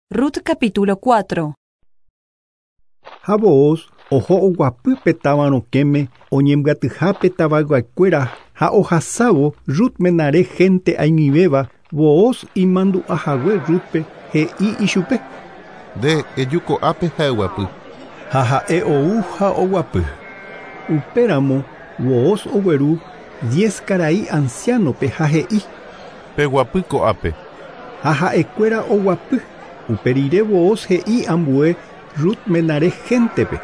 Rut capítulo 4. Ha Booz oho oguapy pe táva rokẽme oñembyatyhápe tavayguakuéra ha ohasávo Rut menare hénte aimivéva Booz imandu'ahague Rútpe he'i ichupe. Nde eju ko'ápe ha eguapy. Ha ha'e ou ha oguapy. Upéramo Booz ogueru diez karai anciánope ha he'i. Peguapy ko'ápe. Ha ha'ekuéra oguapy. Upe rire Booz he'i ambue Rut menare héntepe.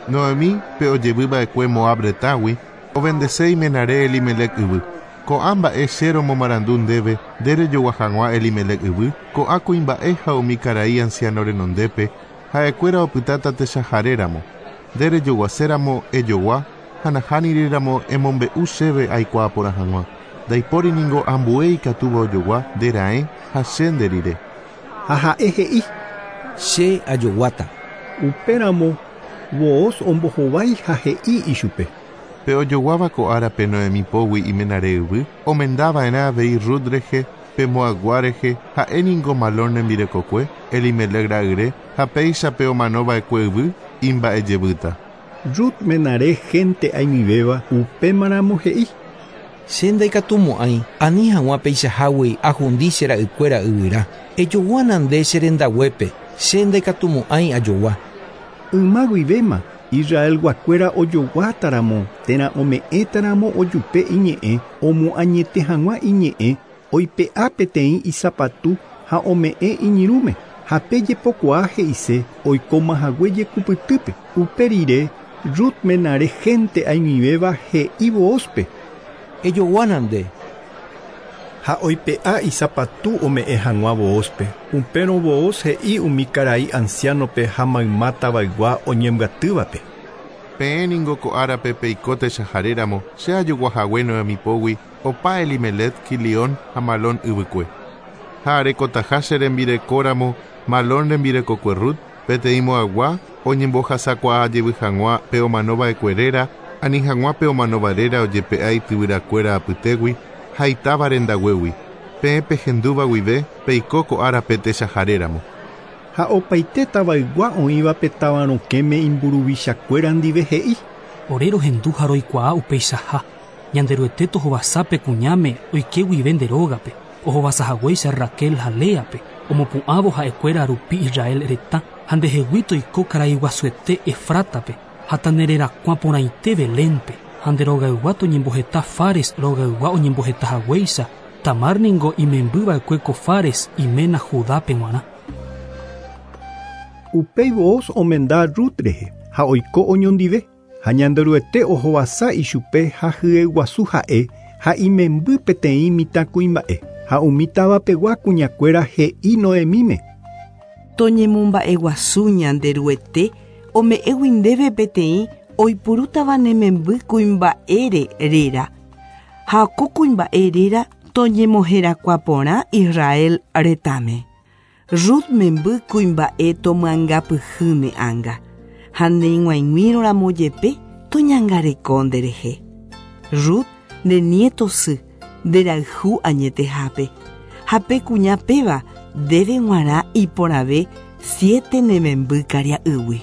Noemí, pe ojevy va'ekue Moab retãgui, ovendese imenare Elimelec yvy. Ko'ã mba'e che romomarandu ndéve nde rejogua hag̃ua Elimelec yvy, ko'ã kuimba'e ha umi karai anciano renondépe, ha'ekuéra opytáta techaharéramo. Nde rejoguaséramo ejogua ha nahániri ramo emombe'u chéve aikuaa porã hag̃ua. Ndaipóri ningo ambue ikatúva ojogua nde raẽ ha che nde rire. Ha ha'e he'i. Che ajoguáta. Upéramo Booz ombohovái ha he'i ichupe. Pe ojoguáva ko árape Noemí pógui imenare yvy, omendava'erã avei Rut rehe, pe Moabgua rehe, ha'e ningo Malón rembirekokue, Elimelec ra'yre, ha péicha pe omanova'ekue yvy imba'ejevýta. Rut menare hénte aimivéva upémaramo he'i. Che ndaikatumo'ãi ani hag̃ua peichahágui ahundi che ra'ykuéra yvyrã. Ejoguána nde che rendaguépe, che ndaikatumo'ãi ajogua. Yma guivéma Israelguakuéra ojoguátaramo térã ome'ẽtaramo ojupe iñe'ẽ omoañete hag̃ua iñe'ẽ oipe'a peteĩ isapatu ha ome'ẽ iñirũme ha pe jepokuaa he'ise oikomahague jekupytýpe. Upe rire Rut menare hénte aimivéva he'i Boozpe. Ejoguána nde. Ha oipe'a isapatu ome'ẽ hag̃ua Boozpe. Upérõ Booz he'i umi karai anciánope ha mayma tavaygua oñembyatývape. Peẽ ningo ko árape peiko techaharéramo che ajoguahague Noemí pógui opa Elimelec, Quilión ha Malón yvykue. Ha arekotaha che rembirekóramo Malón rembirekokue Rut, peteĩ Moabgua oñembohasakuaa jevy hag̃ua pe omanova'ekue réra, ani hag̃ua pe omanóva réra ojepe'a ityvyrakuéra apytégui ha itáva rendaguégui. Peẽ pehendúva guive peiko ko árape techaharéramo. Ha opaite tavaygua oĩva pe táva rokẽme imburuvichakuéra ndive he'i. Ore rohendu ha roikuaa upeichaha. Ñanderuete tohovasápe kuñáme oike guive nde rógape, ohovasahaguéicha Raquel ha Léape, omopu'ãvo ha'ekuéra rupi Israel retã ha ndehegui toiko karaiguasuete Efrátape ha tanererakuã porãite Belénpe ha nde rogaygua toñemboheta Fares rogaygua oñembohetahaguéicha Tamar ningo imembyva'ekue ko Fares iména Judápe g̃uarã. Upéi Booz omenda Rut rehe ha oiko oñondive ha Ñanderuete ohovasa ichupe ha hyeguasu ha'e ha imemby peteĩ mitãkuimba'e ha umi tavapegua kuñakuéra he'i Noemíme. Toñemomba'eguasu Ñanderuete ome'ẽgui ndéve peteĩ oipurútava ne memby kuimba'ére réra ha ko kuimba'e réra toñemoherakuã porã Israel retãme. Rut memby kuimba'e tomyangapyhy ne ánga ha neig̃uaig̃uírõramo jepe toñangareko nderehe. Rut nde nieto sy nderayhu añetehápe ha pe kuña péva ndéve g̃uarã iporãve siete ne memby karia'ýgui.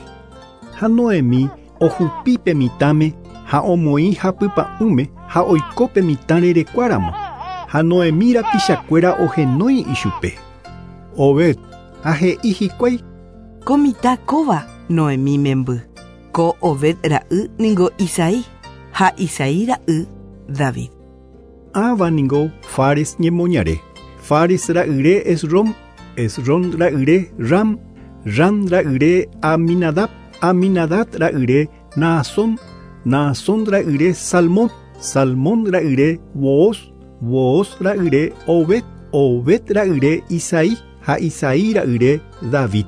Ha Noemí ohupi pe mitãme ha omoĩ hapypa'ũme ha oiko pe mitã rerekuáramo. Ha Noemí rapichakuéra ohenói ichupe. Obed ha he'i hikuái. Ko mitã kóva Noemí memby. Ko Obed ra'y ningo Isaí ha Isaí ra'y David. Ãva ningo Fares ñemoñare. Fares ra'yre Esrom, Esrom ra'yre Ram, Ram ra'yre Aminadab, Aminadab ra'yre Naasón, Naasón ra'yre Salmón, Salmón ra'yre Booz, Booz ra'yre Obed, Obed ra'yre Isaí ha Isaí ra'yre David.